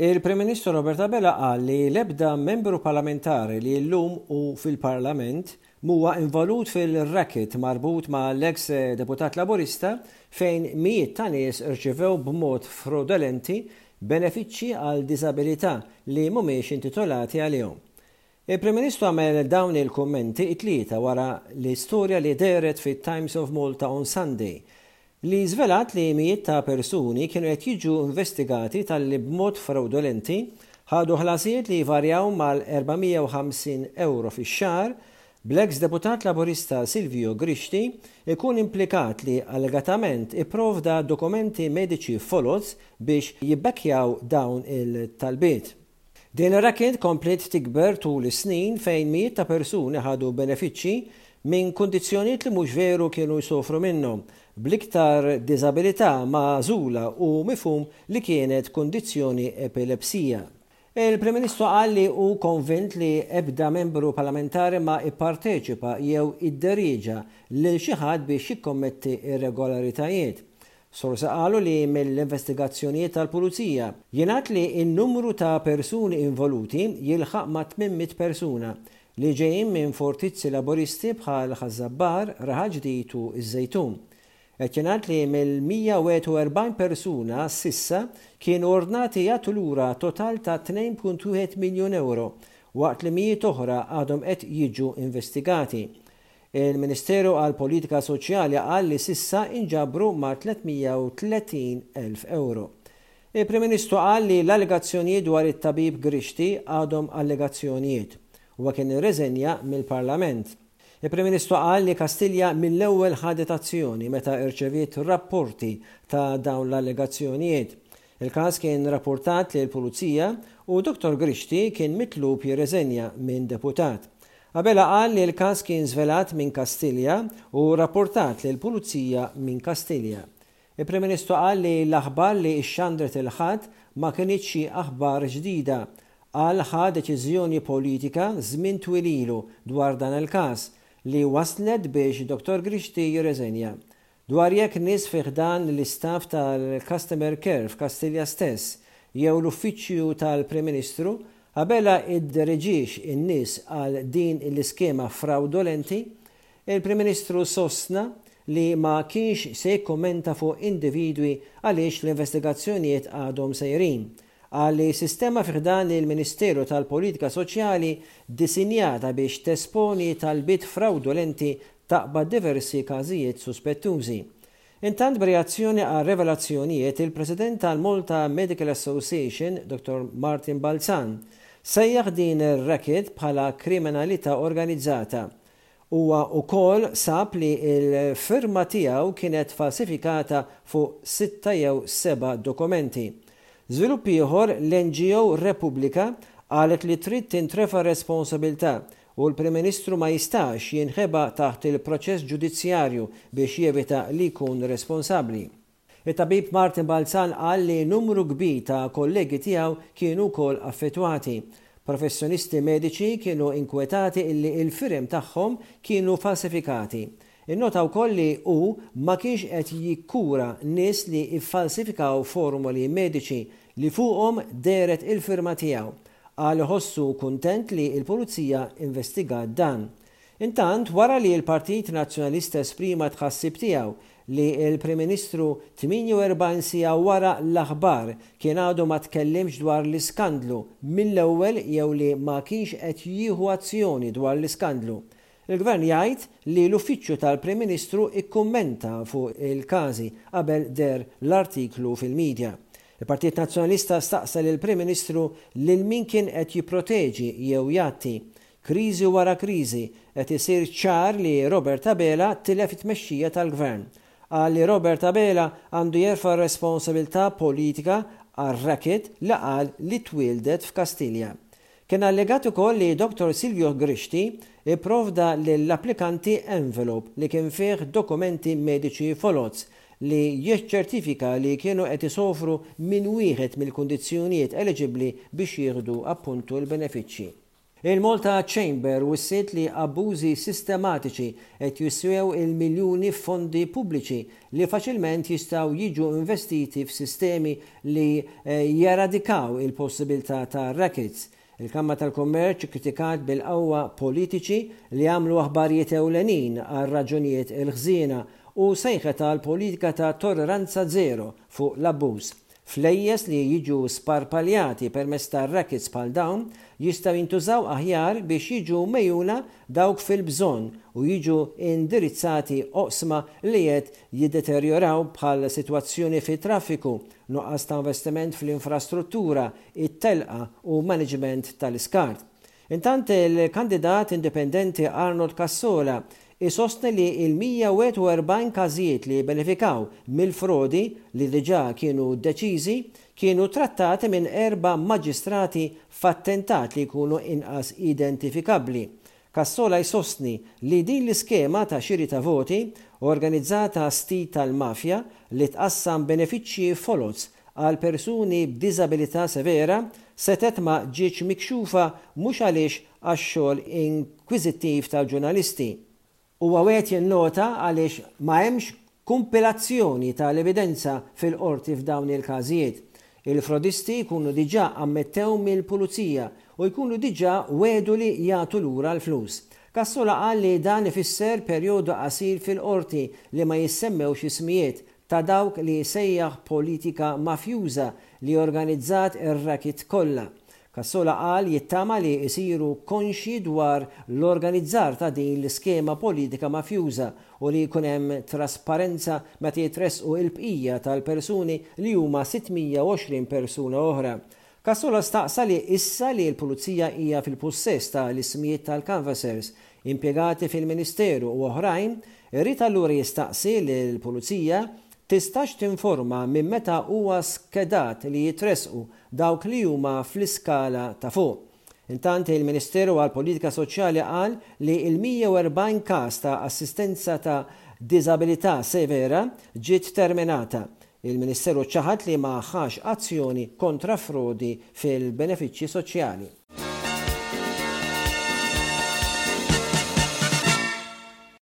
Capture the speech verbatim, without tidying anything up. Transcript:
Il-Prim Ministru Robert Abela qal li l-ebda membru parlamentari li llum hu fil-Parlament m'huwa involut fil-racket marbut ma' l-ex deputat Laburista fejn mijiet ta' nies irċivew b'mod fraudolenti benefiċċji għal diżabilità li mhumiex intitolati għalihom. Il-Prim Ministru għamel dawn il-kummenti it-Tlieta wara l-istorja li dehret fit-Times of Malta on Sunday li żvelat li mijiet ta' persuni kienu qed jiġu investigati talli b'mod fraudolenti ħadu ħlasijiet li jvarjaw mal-erba' mija u ħamsin euro fix-xahar, bl-ex deputat Laburista Silvio Grixti ikun implikat li allegatament ipprovda dokumenti mediċi foloz biex jibbekkjaw dawn il-talbiet. Din ir-racket kompliet tikber tul is-snin fejn mijiet ta' persuni ħadu benefiċċji minn kundizzjonijiet li mhux veru kienu jsofru minnhom, bl-iktar diżabilità magħżula u mifhum li kienet kundizzjoni epilepsija. Il-Prim Ministru qal li hu konvint li ebda membru parlamentari ma ipparteċipa jew idderieġa lil xi ħadd biex jikkommetti irregolaritajiet. Sorsi qalu li mill-investigazzjonijiet tal-Pulizija jingħad li n-numru ta' persuni involuti jilħaq ma' tmien mitt persuna li ġejjin minn fortizzi Laburisti bħal Ħaż-Żabbar, Raħal Ġdid u ż-Żejtun. Qed jingħad li mill-mija u wieħed u erbgħin persuna s'issa kienu ordnati jagħtu lura total ta' tnejn punt wieħed miljun euro, waqt li mijiet oħra għadhom qed jiġu investigati. Il-Ministeru għal Politika Soċjali qal li s'issa inġabru ma' tliet mija u tletin elf euro. Il-Prim Ministru qal li l-allegazzjonijiet dwar it-tabib Grixti għadhom allegazzjonijiet. Huwa kien irreżenja mill-Parlament. Il-Prim Ministru qal li Kastilja mill-ewwel ħadet azzjoni meta irċeviet rapporti ta' dawn l-allegazzjonijiet. Il-każ kien rapportat lil pulizija u Dottor Grixti kien mitlub jirreżenja minn deputat. Abela qal li l-każ kien żvelat minn Kastilja u rapportat lil pulizija minn Kastilja. Il-Prim Ministru qal li l-aħbar li xxandret il-Ħadd ma kinitx xi aħbar ġdida. Qal ħa deċiżjoni politika żmien twil ilu dwar dan il-każ li waslet biex Dottor Grixti jirreżenja. Dwar jekk nies fi ħdan l-istaff tal-Customer Care f'Kastilja stess jew l-Uffiċċju tal-Prim Ministru Abela iddereġix in-nies għal din l-iskema fraudolenti, il-Prim Ministru sostna li ma kienx se jikkommenta fuq individwi għaliex l-investigazzjonijiet għadhom sejrin. Qal li sistema fi ħdan il-Ministeru tal-Politika Soċjali disinjata biex tesponi talbiet fraudolenti taqbad diversi każijiet suspettużi. Intant, b'reazzjoni għal revelazzjonijiet, il-President tal-Malta Medical Association, Dottor Martin Balzan, sejjaħ din ir-racket bħala kriminalità organizzata. Huwa wkoll sab li l-firma tiegħu kienet falsifikata fuq sitta jew seba' dokumenti. Żvilupp ieħor, l-N G O Repubblika qalet li trid tintrefa responsabilità u l-Prim Ministru ma jistax jinħeba taħt il-proċess ġudizzjarju biex jevita li jkun responsabbli. Il-tabib Martin Balzan qal li numru kbir ta' kollegi tiegħu kienu wkoll affettwati. Professjonisti mediċi kienu inkwetati illi il-firem tagħhom kienu falsifikati. Innota wkoll li hu ma kienx qed jikkura nies li iffalsifikaw formuli mediċi li fuqhom dehret il-firma tiegħu. Qal iħossu kuntent li l-Pulizija investigat dan. Intant, wara li l-Partit Nazzjonalista esprima tħassib tiegħu li l-Prim Ministru tmienja u erbgħin siegħa wara l-aħbar kien għadu ma tkellimx dwar l-iskandlu mill-ewwel jew li ma kienx qed jieħu azzjoni dwar l-iskandlu, il-Gvern jgħid li l-Uffiċċju tal-Prim Ministru ikkummenta fuq il-każi qabel deher l-artiklu fil-medja. Il-Partit Nazzjonalista staqsa lil Prim Ministru lil min kien qed jipproteġi jew jgħatti. Kriżi wara kriżi, qed isir ċar li Robert Abela tilef it-tmexxija tal-Gvern. Qal li Robert Abela għandu jerfa' responsabilità politika għar-racket li qal li twildet f'Kastilja. Kien allegat ukoll li Dottor Silvio Grixti ipprovda lill-applikanti envelope li kien fih dokumenti mediċi foloz li jiċċertifika li kienu qed isofru minn wieħed mill-kundizzjonijiet eliġibbli biex jieħdu appuntu l-benefiċċji. Il-Malta Chamber wissiet li abbużi sistematiċi qed jiswew il-miljuni f'fondi pubbliċi li faċilment jistgħu jiġu investiti f'sistemi li eh, jeradikaw il-possibilità ta' rackets. Il-Kamra tal-Kummerċ kritikat bil-qawwa politiċi li għamlu aħbarijiet ewlenin għal raġunijiet il-ħżiena u sejħet għal politika ta' tolleranza zero fuq l-abbuż. Flejjes li jiġu sparpaljati permezz ta' rackets bħal dawn jistgħu jintużaw aħjar biex jiġu megħjuna dawk fil-bżonn u jiġu indirizzati oqsma li qed jiddeterjoraw bħal sitwazzjoni fit-traffiku, nuqqas ta' investiment fl-infrastruttura, it-telqa u management tal-iskart. Intant, il-kandidat indipendenti Arnold Cassola isostni li il-mija u wieħed u erbgħin każijiet li benefikaw mill-frodi li diġà kienu deċiżi kienu trattati minn erba' maġistrati f'attentat li jkunu inqas identifikabbli. Cassola jsostni li din l-iskema ta' xiri ta' voti organizzata stil tal-mafja li tqassam benefiċċji foloz għal persuni b'diżabilità severa setet ma ġietx mikxufa mhux għaliex għax-xogħol inkwiżittiv tal-ġurnalisti. Huwa wieħed jinnota għaliex ma hemmx kumpilazzjoni tal-evidenza fil-qorti f'dawn il-każijiet. Il-frodisti jkunu diġà ammettew mill-pulizija u jkunu diġà wegħdu li jagħtu lura l-flus. Cassola qal li dan ifisser perjodu qasir fil-qorti li ma jissemmewx ismijiet ta' dawk li sejjaħ politika mafjuża li organizzat ir-racket kollha. Cassola qal jittama li jisiru konxi dwar l-organizzar ta' din l-iskema politika mafjuża u li jkun hemm trasparenza meta jitressqu il-bqija tal-persuni li huma sitt mija u għoxrin persuna oħra. Cassola staqsa li issa li l-pulizija hija fil-possess ta' l-ismijiet tal-canvassers impjegati fil-Ministeru u oħrajn, irrid allura jistaqsi li l-pulizija tistax tinforma minn meta huwa skedat li jitresqu dawk li huma fl-iskala ta' fuq. Intant, il-Ministeru għal Politika Soċjali qal li il-mija u erbgħin każ ta' assistenza ta' diżabilità severa ġiet terminata. Il-Ministeru ċaħat li ma ħax azzjoni kontra frodi fil-benefiċċji soċjali.